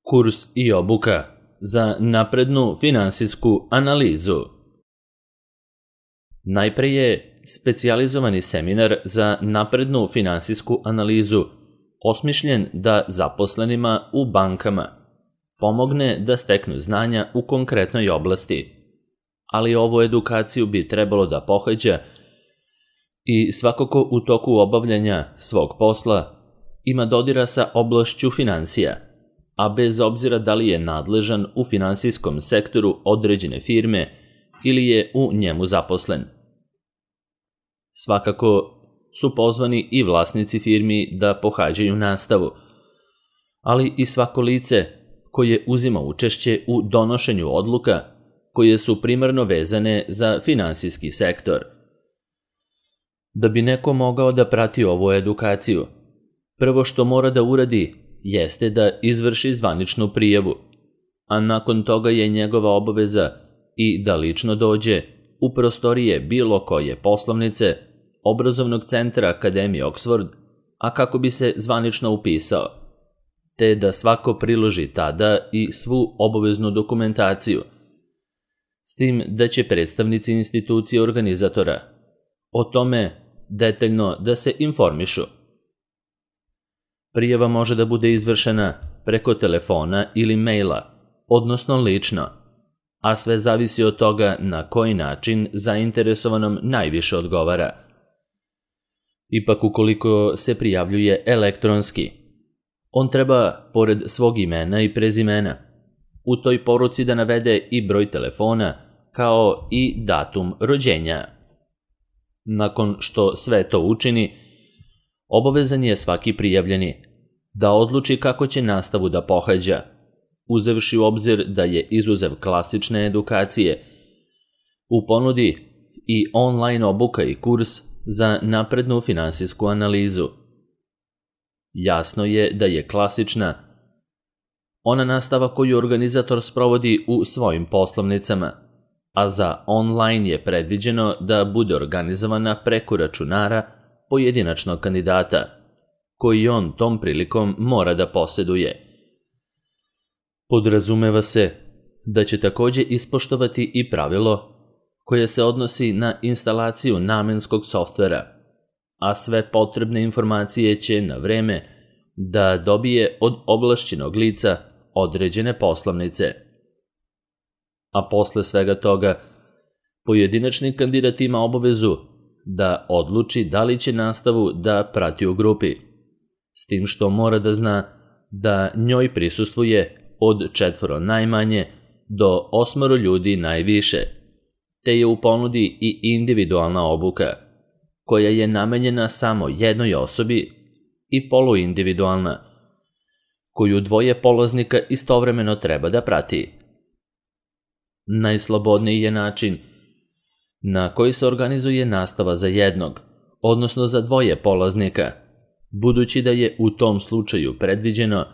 Kurs i obuka za naprednu finansijsku analizu. Najpre je specijalizovani seminar za naprednu finansijsku analizu osmišljen da zaposlenima u bankama pomogne da steknu znanja u konkretnoj oblasti, ali ovu edukaciju bi trebalo da pohađa i svako ko u toku obavljanja svog posla ima dodira sa oblašću finansija, a bez obzira da li je nadležan u finansijskom sektoru određene firme ili je u njemu zaposlen. Svakako su pozvani i vlasnici firmi da pohađaju nastavu, ali i svako lice koje uzima učešće u donošenju odluka koje su primarno vezane za finansijski sektor. Da bi neko mogao da prati ovu edukaciju, prvo što mora da uradi jeste da izvrši zvaničnu prijavu, a nakon toga je njegova obaveza i da lično dođe u prostorije bilo koje poslovnice obrazovnog centra Akademije Oxford, a kako bi se zvanično upisao, te da svako priloži tada i svu obaveznu dokumentaciju, s tim da će predstavnici institucije organizatora o tome detaljno da se informišu. Prijava može da bude izvršena preko telefona ili maila, odnosno lično, a sve zavisi od toga na koji način zainteresovanom najviše odgovara. Ipak ukoliko se prijavljuje elektronski, on treba, pored svog imena i prezimena, u toj poruci da navede i broj telefona kao i datum rođenja. Nakon što sve to učini, obavezan je svaki prijavljeni da odluči kako će nastavu da pohađa, uzevši u obzir da je izuzev klasične edukacije u ponudi i online obuka i kurs za naprednu finansijsku analizu. Jasno je da je klasična ona nastava koju organizator sprovodi u svojim poslovnicama, a za online je predviđeno da bude organizovana preko računara pojedinačnog kandidata, koji on tom prilikom mora da poseduje. Podrazumeva se da će takođe ispoštovati i pravilo koje se odnosi na instalaciju namenskog softvera, a sve potrebne informacije će na vreme da dobije od ovlašćenog lica određene poslovnice. A posle svega toga, pojedinačni kandidat ima obavezu da odluči da li će nastavu da prati u grupi, s tim što mora da zna da njoj prisustvuje od 4 najmanje do 8 ljudi najviše, te je u ponudi i individualna obuka, koja je namenjena samo jednoj osobi, i poluindividualna, koju 2 polaznika istovremeno treba da prati. Najslobodniji je način na koji se organizuje nastava za jednog, odnosno za 2 polaznika, budući da je u tom slučaju predviđeno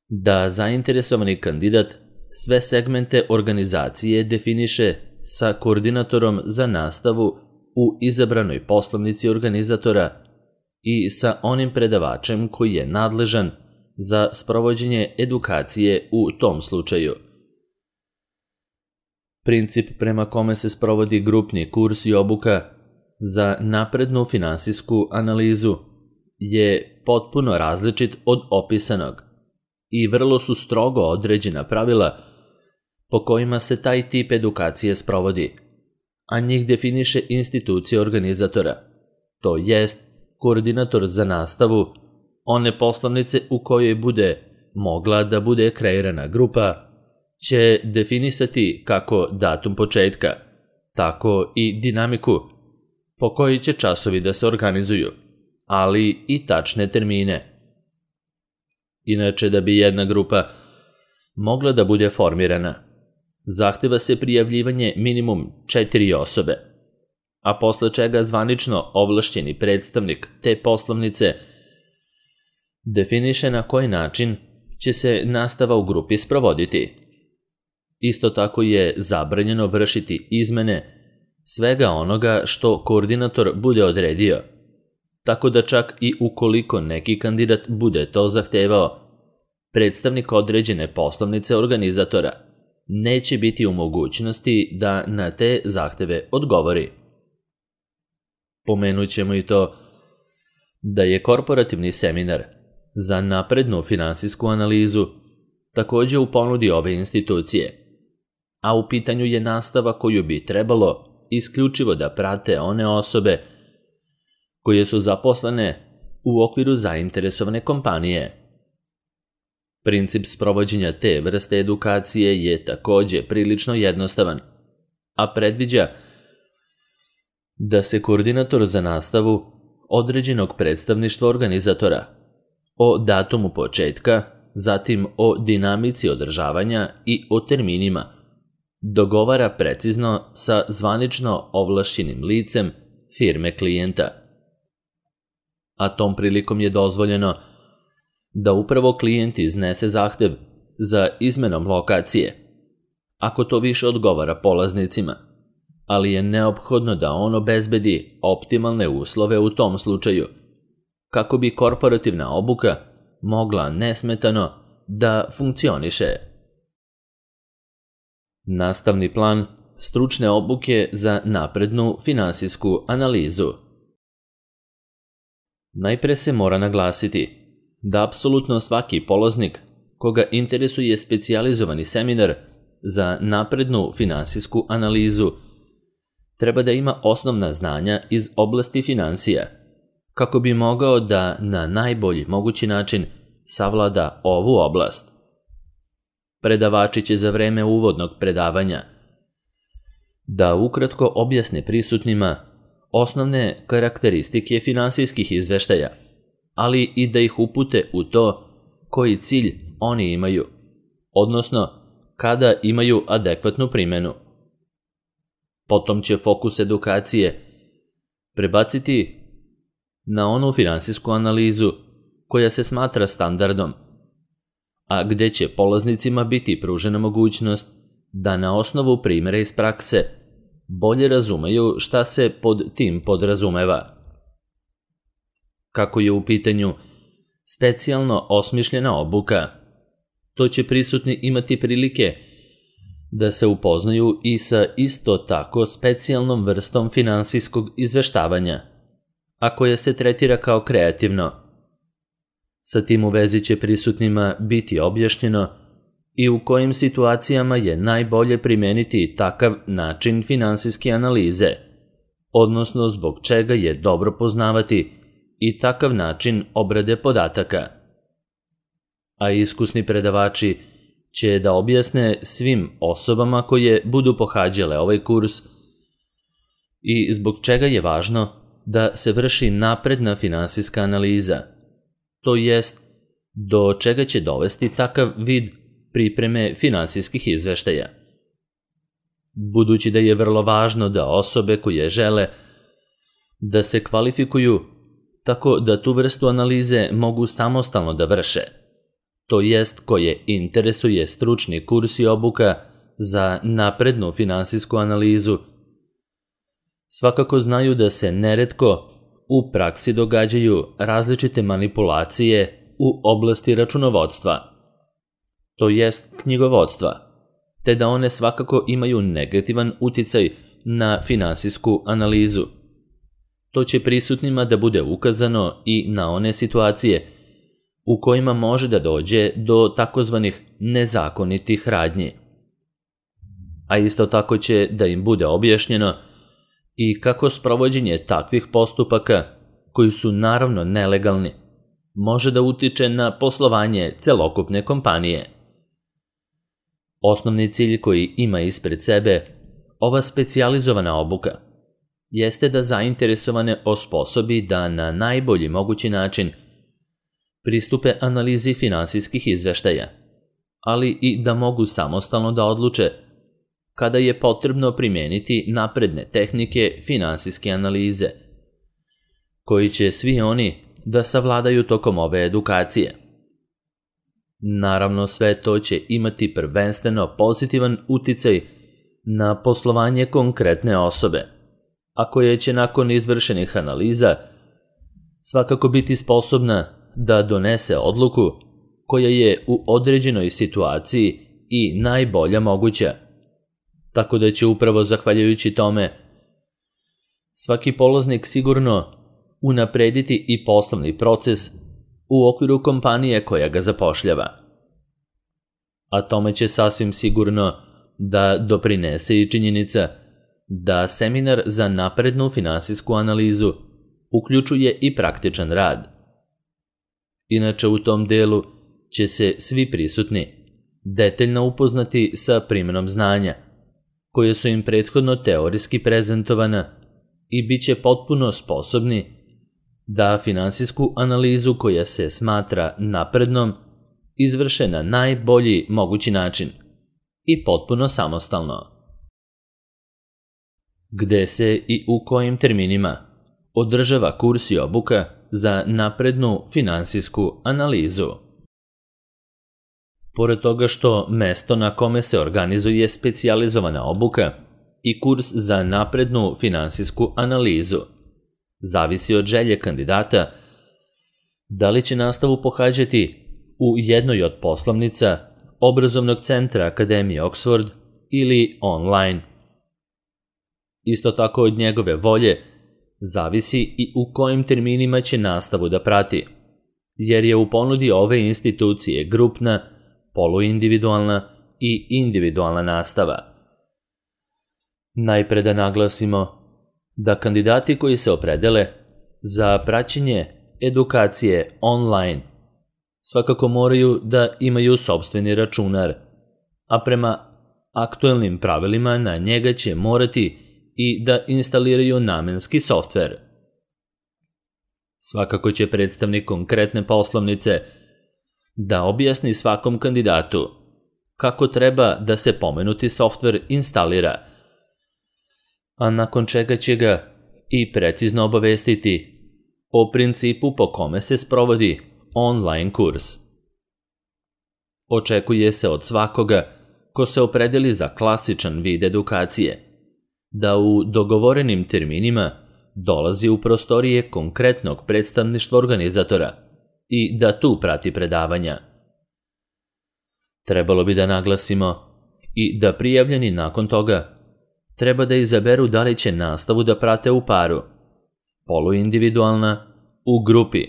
da zainteresovani kandidat sve segmente organizacije definiše sa koordinatorom za nastavu u izabranoj poslovnici organizatora i sa onim predavačem koji je nadležan za sprovođenje edukacije u tom slučaju. Princip prema kome se sprovodi grupni kurs i obuka za naprednu finansijsku analizu je potpuno različit od opisanog i vrlo su strogo određena pravila po kojima se taj tip edukacije sprovodi, a njih definiše institucija organizatora, to jest koordinator za nastavu one poslovnice u kojoj bude mogla da bude kreirana grupa će definisati kako datum početka, tako i dinamiku po kojoj će časovi da se organizuju, ali i tačne termine. Inače, da bi jedna grupa mogla da bude formirana, zahteva se prijavljivanje minimum 4 osobe, a posle čega zvanično ovlašćeni predstavnik te poslovnice definiše na koji način će se nastava u grupi sprovoditi. Isto tako je zabranjeno vršiti izmene svega onoga što koordinator bude odredio, tako da čak i ukoliko neki kandidat bude to zahtevao, predstavnik određene poslovnice organizatora neće biti u mogućnosti da na te zahteve odgovori. Pomenut ćemo i to da je korporativni seminar za naprednu finansijsku analizu također u ponudi ove institucije, a u pitanju je nastava koju bi trebalo isključivo da prate one osobe koje su zaposlene u okviru zainteresovane kompanije. Princip sprovođenja te vrste edukacije je također prilično jednostavan, a predviđa da se koordinator za nastavu određenog predstavništva organizatora o datumu početka, zatim o dinamici održavanja i o terminima dogovara precizno sa zvanično ovlašćenim licem firme klijenta. A tom prilikom je dozvoljeno da upravo klijent iznese zahtev za izmenom lokacije, ako to više odgovara polaznicima, ali je neophodno da on obezbedi optimalne uslove u tom slučaju, kako bi korporativna obuka mogla nesmetano da funkcioniše. Nastavni plan stručne obuke za naprednu finansijsku analizu. Najpre se mora naglasiti da apsolutno svaki polaznik koga interesuje specijalizovani seminar za naprednu finansijsku analizu treba da ima osnovna znanja iz oblasti financija, kako bi mogao da na najbolji mogući način savlada ovu oblast. Predavači će za vreme uvodnog predavanja da ukratko objasne prisutnima osnovne karakteristike finansijskih izveštaja, ali i da ih upute u to koji cilj oni imaju, odnosno kada imaju adekvatnu primjenu. Potom će fokus edukacije prebaciti na onu finansijsku analizu koja se smatra standardom, a gdje će polaznicima biti pružena mogućnost da na osnovu primjera iz prakse bolje razumeju šta se pod tim podrazumeva. Kako je u pitanju specijalno osmišljena obuka, to će prisutni imati prilike da se upoznaju i sa isto tako specijalnom vrstom finansijskog izveštavanja, a koje se tretira kao kreativno. Sa tim u vezi će prisutnima biti objašnjeno i u kojim situacijama je najbolje primijeniti takav način finansijske analize, odnosno zbog čega je dobro poznavati i takav način obrade podataka. A iskusni predavači će da objasne svim osobama koje budu pohađale ovaj kurs i zbog čega je važno da se vrši napredna finansijska analiza, to jest do čega će dovesti takav vid pripreme finansijskih izveštaja. Budući da je vrlo važno da osobe koje žele da se kvalifikuju tako da tu vrstu analize mogu samostalno da vrše, to jest koje interesuje stručni kurs i obuka za naprednu finansijsku analizu, svakako znaju da se neretko u praksi događaju različite manipulacije u oblasti računovodstva, to jest knjigovodstva, te da one svakako imaju negativan uticaj na finansijsku analizu. To će prisutnima da bude ukazano i na one situacije u kojima može da dođe do takozvanih nezakonitih radnji. A isto tako će da im bude objašnjeno i kako sprovođenje takvih postupaka, koji su naravno nelegalni, može da utiče na poslovanje celokupne kompanije. Osnovni cilj koji ima ispred sebe ova specijalizovana obuka jeste da zainteresovane osposobi da na najbolji mogući način pristupe analizi finansijskih izveštaja, ali i da mogu samostalno da odluče kada je potrebno primijeniti napredne tehnike finansijske analize, koji će svi oni da savladaju tokom ove edukacije. Naravno, sve to će imati prvenstveno pozitivan uticaj na poslovanje konkretne osobe, a koja će nakon izvršenih analiza svakako biti sposobna da donese odluku koja je u određenoj situaciji i najbolja moguća. Tako da će upravo zahvaljujući tome svaki polaznik sigurno unaprediti i poslovni proces u okviru kompanije koja ga zapošljava. A tome će sasvim sigurno da doprinese i činjenica da seminar za naprednu finansijsku analizu uključuje i praktičan rad. Inače, u tom delu će se svi prisutni detaljno upoznati sa primjenom znanja, koje su im prethodno teorijski prezentovana i bit će potpuno sposobni da finansijsku analizu koja se smatra naprednom izvrše na najbolji mogući način i potpuno samostalno. Gde se i u kojim terminima održava kurs i obuka za naprednu finansijsku analizu? Pored toga što mesto na kome se organizuje specijalizovana obuka i kurs za naprednu finansijsku analizu zavisi od želje kandidata da li će nastavu pohađati u jednoj od poslovnica obrazovnog centra Akademije Oxford ili online. Isto tako od njegove volje zavisi i u kojim terminima će nastavu da prati, jer je u ponudi ove institucije grupna, poluindividualna i individualna nastava. Najpre da naglasimo da kandidati koji se opredele za praćenje edukacije online svakako moraju da imaju sopstveni računar, a prema aktuelnim pravilima na njega će morati i da instaliraju namenski softver. Svakako će predstavnik konkretne poslovnice da objasni svakom kandidatu kako treba da se pomenuti softver instalira, a nakon čega će ga i precizno obavestiti o principu po kome se sprovodi online kurs. Očekuje se od svakoga ko se opredeli za klasičan vid edukacije da u dogovorenim terminima dolazi u prostorije konkretnog predstavništva organizatora i da tu prati predavanja. Trebalo bi da naglasimo i da prijavljeni nakon toga treba da izaberu da li će nastavu da prate u paru, poluindividualna, u grupi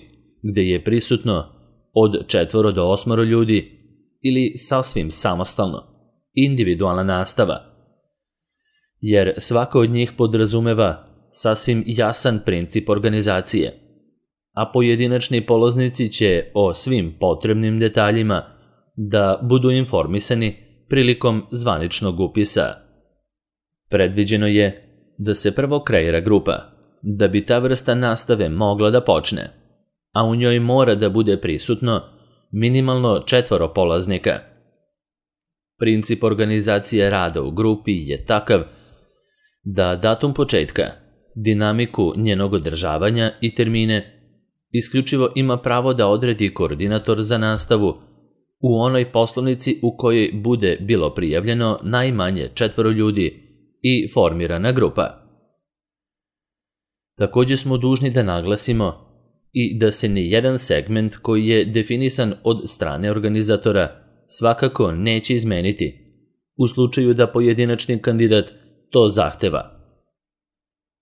gde je prisutno od 4 do 8 ljudi ili sasvim samostalno, individualna nastava, jer svaka od njih podrazumeva sasvim jasan princip organizacije, a pojedinačni polaznici će o svim potrebnim detaljima da budu informisani prilikom zvaničnog upisa. Predviđeno je da se prvo kreira grupa, da bi ta vrsta nastave mogla da počne, a u njoj mora da bude prisutno minimalno 4 polaznika. Princip organizacije rada u grupi je takav da datum početka, dinamiku njenog održavanja i termine isključivo ima pravo da odredi koordinator za nastavu u onoj poslovnici u kojoj bude bilo prijavljeno najmanje 4 ljudi i formirana grupa. Također smo dužni da naglasimo i da se ni jedan segment koji je definisan od strane organizatora svakako neće izmeniti u slučaju da pojedinačni kandidat to zahteva.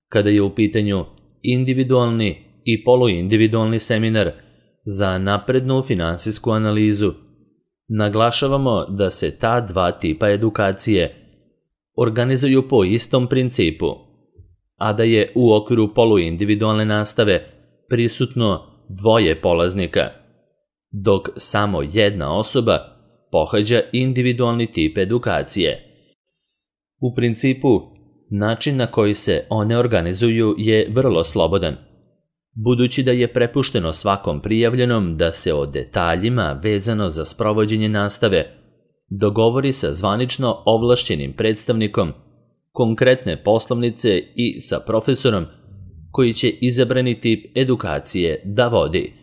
Kada je u pitanju individualni i poluindividualni seminar za naprednu finansijsku analizu, naglašavamo da se ta dva tipa edukacije organizuju po istom principu, a da je u okviru poluindividualne nastave prisutno 2 polaznika, dok samo 1 osoba pohađa individualni tip edukacije. U principu, način na koji se one organizuju je vrlo slobodan, budući da je prepušteno svakom prijavljenom da se o detaljima vezano za sprovođenje nastave dogovori sa zvanično ovlašćenim predstavnikom konkretne poslovnice i sa profesorom koji će izabrani tip edukacije da vodi.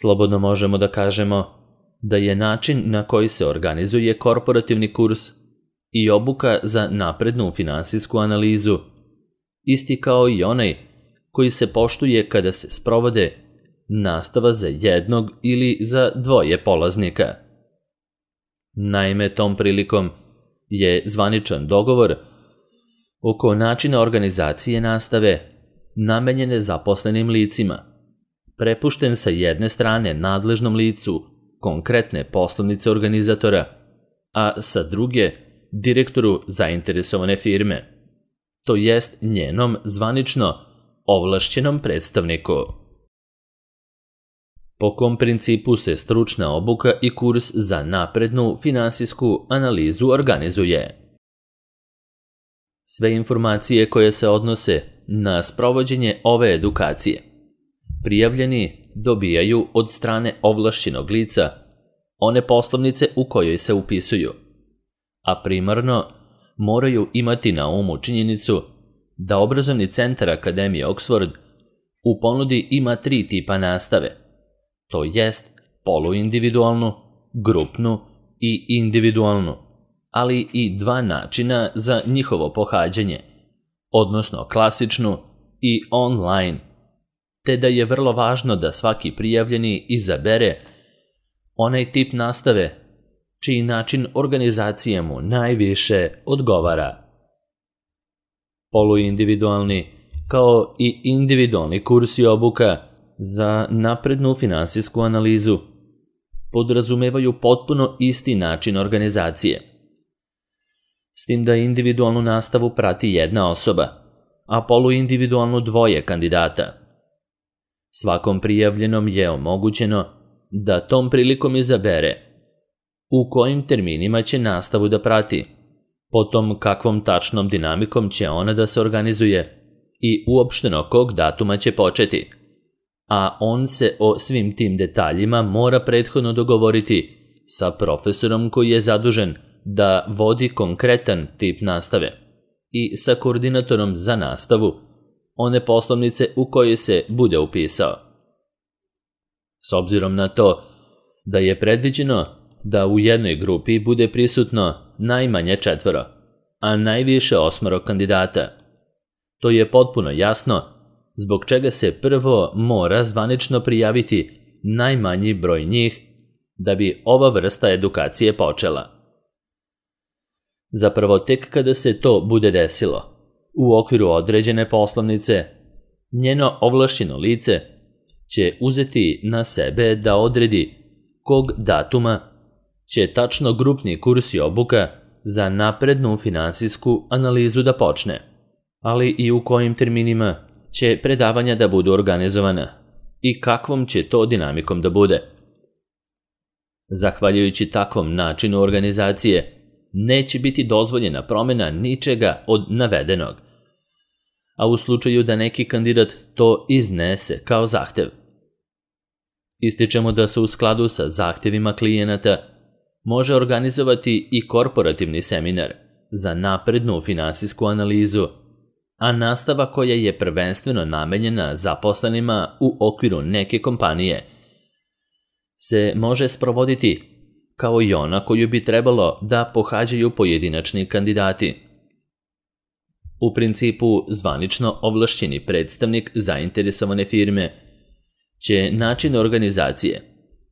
Slobodno možemo da kažemo da je način na koji se organizuje korporativni kurs i obuka za naprednu finansijsku analizu isti kao i onaj koji se poštuje kada se sprovode nastava za jednog ili za dvoje polaznika. Naime, tom prilikom je zvaničan dogovor oko načina organizacije nastave namenjene zaposlenim licima, prepušten sa jedne strane nadležnom licu konkretne poslovnice organizatora, a sa druge direktoru zainteresovane firme, to jest njenom zvanično ovlašćenom predstavniku. Po kom principu se stručna obuka i kurs za naprednu finansijsku analizu organizuje? Sve informacije koje se odnose na sprovođenje ove edukacije prijavljeni dobijaju od strane ovlašćenog lica one poslovnice u kojoj se upisuju, a primarno moraju imati na umu činjenicu da obrazovni centar Akademije Oxford u ponudi ima 3 tipa nastave, to jest poluindividualnu, grupnu i individualnu, ali i 2 načina za njihovo pohađanje, odnosno klasičnu i online, te da je vrlo važno da svaki prijavljeni izabere onaj tip nastave čiji način organizacije mu najviše odgovara. Poluindividualni kao i individualni kurs i obuka za naprednu finansijsku analizu podrazumevaju potpuno isti način organizacije, s tim da individualnu nastavu prati jedna osoba, a poluindividualnu 2 kandidata. Svakom prijavljenom je omogućeno da tom prilikom izabere u kojim terminima će nastavu da prati, potom kakvom tačnom dinamikom će ona da se organizuje i uopšteno kog datuma će početi, a on se o svim tim detaljima mora prethodno dogovoriti sa profesorom koji je zadužen da vodi konkretan tip nastave i sa koordinatorom za nastavu one poslovnice u koje se bude upisao. S obzirom na to da je predviđeno da u jednoj grupi bude prisutno najmanje 4, a najviše 8 kandidata, to je potpuno jasno zbog čega se prvo mora zvanično prijaviti najmanji broj njih da bi ova vrsta edukacije počela. Zapravo tek kada se to bude desilo, u okviru određene poslovnice, njeno ovlašćeno lice će uzeti na sebe da odredi kog datuma će tačno grupni kurs i obuka za naprednu finansijsku analizu da počne, ali i u kojim terminima će predavanja da budu organizovana i kakvom će to dinamikom da bude. Zahvaljujući takvom načinu organizacije, neće biti dozvoljena promjena ničega od navedenog, a u slučaju da neki kandidat to iznese kao zahtev. Ističemo da se u skladu sa zahtevima klijenata može organizovati i korporativni seminar za naprednu finansijsku analizu, a nastava koja je prvenstveno namenjena zaposlenima u okviru neke kompanije se može sprovoditi kao i ona koju bi trebalo da pohađaju pojedinačni kandidati. U principu, zvanično ovlašćeni predstavnik zainteresovane firme će način organizacije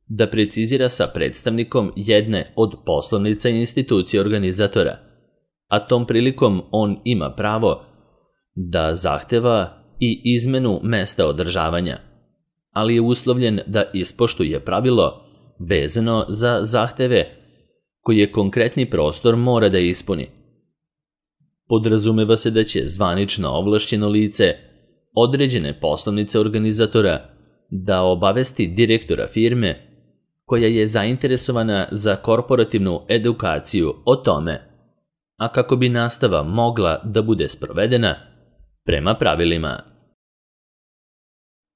da precizira sa predstavnikom jedne od poslovnica i institucije organizatora, a tom prilikom on ima pravo da zahteva i izmenu mesta održavanja, ali je uslovljen da ispoštuje pravilo vezano za zahteve koje konkretni prostor mora da ispuni. Podrazumeva se da će zvanično ovlašćeno lice određene poslovnice organizatora da obavesti direktora firme koja je zainteresovana za korporativnu edukaciju o tome, a kako bi nastava mogla da bude sprovedena prema pravilima.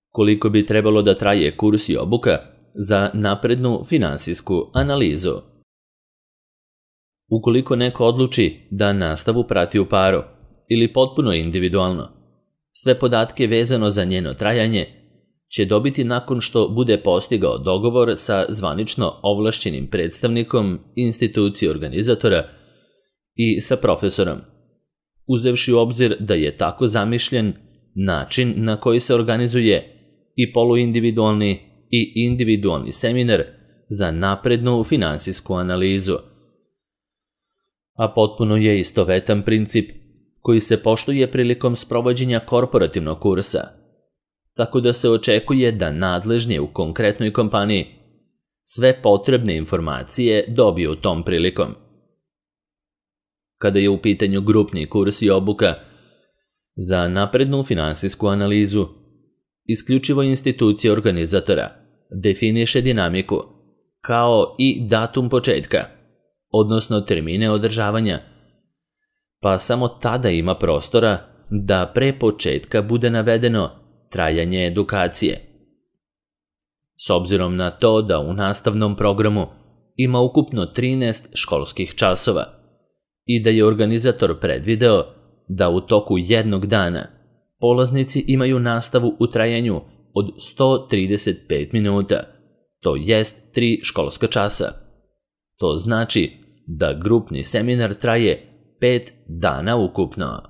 Koliko bi trebalo da traje kurs i obuka za naprednu finansijsku analizu? Ukoliko neko odluči da nastavu prati u paru ili potpuno individualno, sve podatke vezano za njeno trajanje će dobiti nakon što bude postigao dogovor sa zvanično ovlašćenim predstavnikom institucije organizatora i sa profesorom, uzevši u obzir da je tako zamišljen način na koji se organizuje i poluindividualni i individualni seminar za naprednu finansijsku analizu. A potpuno je istovetan princip koji se poštuje prilikom sprovođenja korporativnog kursa, tako da se očekuje da nadležni u konkretnoj kompaniji sve potrebne informacije dobiju tom prilikom. Kada je u pitanju grupni kurs i obuka za naprednu finansijsku analizu, isključivo institucija organizatora definiše dinamiku kao i datum početka, odnosno termine održavanja, pa samo tada ima prostora da pre početka bude navedeno trajanje edukacije. S obzirom na to da u nastavnom programu ima ukupno 13 školskih časova i da je organizator predvideo da u toku jednog dana polaznici imaju nastavu u trajanju od 135 minuta, to jest 3 školska časa. To znači da grupni seminar traje 5 dana ukupno.